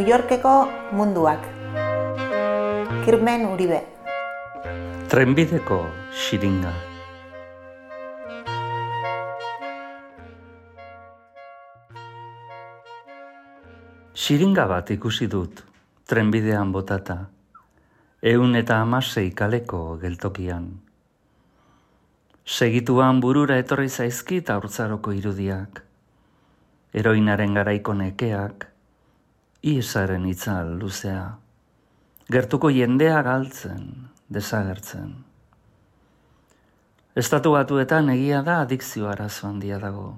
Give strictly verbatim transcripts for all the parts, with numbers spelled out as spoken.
New Yorkeko munduak. Kirmen Uribe. Trenbideko xiringa. Xiringa bat ikusi dut, trenbidean botata, ehun eta hamasei kaleko geltokian. Segituan burura etorri zaizkit haurtzaroko irudiak, heroinaren garaiko nekeak, iesaren itzal luzea, gertuko jendea galtzen, desagertzen. Estatu Batuetan egia da adikzio arazo handia dago.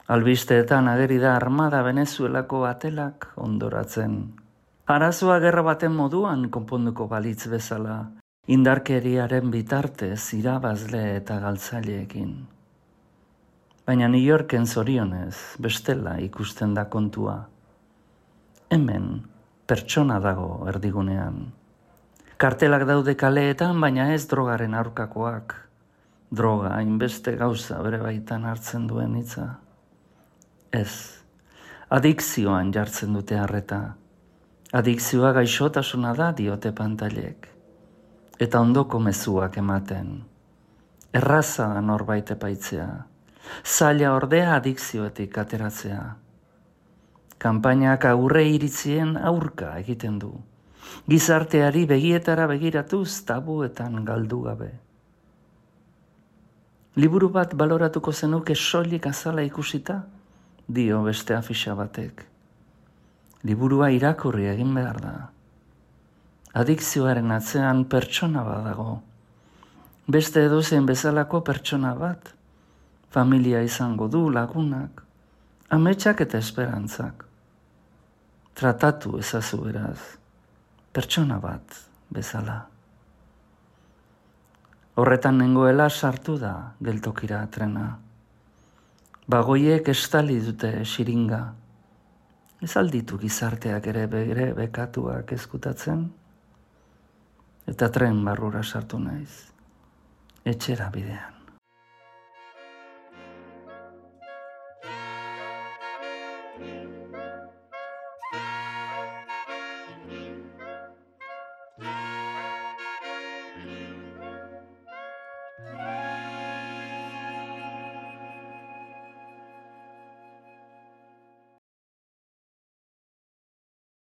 Albisteetan ageri da armada Venezuelako batelak ondoratzen. Arazoa gerra baten moduan konponduko balitz bezala, indarkeriaren bitartez irabazle eta galtzaileekin. Baina New Yorken zorionez bestela ikusten da kontua. Hemen pertsona dago erdigunean. Kartelak daude kaleetan, baina ez drogaren aurkakoak. Droga hainbeste gauza bere baitan hartzen duen hitza. Ez, adikzioan jartzen dute harreta. Adikzioa gaixotasuna da diote pantailek. Eta ondoko mezuak ematen. Erraza da norbait epaitzea. Zaila ordea adikzioetik ateratzea. Kanpainak aurre iritzien aurka egiten du. Gizarteari begietara begiratuz tabuetan galdu gabe. Liburu bat baloratuko zenuke soilik azala ikusita, dio beste afixa batek. Liburua irakurri egin behar da. Adikzioaren atzean pertsona bat dago. Beste edozein bezalako pertsona bat. Familia izango du, lagunak, ametsak eta esperantzak. Tratatu ezazu beraz, pertsona bat bezala. Horretan nengoela sartu da geltokira trena. Bagoiek estali dute xiringa. Ez alditu gizarteak ere bere bekatuak ezkutatzen. Eta tren barrura sartu naiz. Etxera bidean.